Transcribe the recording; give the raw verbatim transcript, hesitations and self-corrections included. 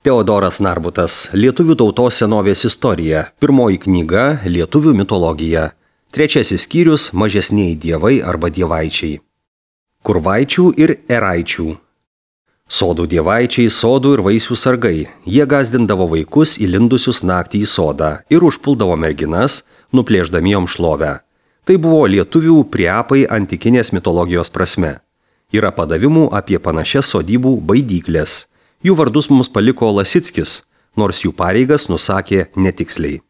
Teodoras Narbutas, Lietuvių tautos senovės istorija, pirmoji knyga Lietuvių mitologija, trečiasis skyrius Mažesnieji dievai arba dievaičiai. Kurvaičių ir eraičių. Sodų dievaičiai, sodų ir vaisių sargai, jie gazdindavo vaikus įlindusius naktį į sodą ir užpuldavo merginas, nuplėšdami jom šlovę. Tai buvo lietuvių priapai antikinės mitologijos prasme. Yra padavimų apie panašias sodybų baidyklės. Jų vardus mums paliko Lasickis, nors jų pareigas nusakė netiksliai.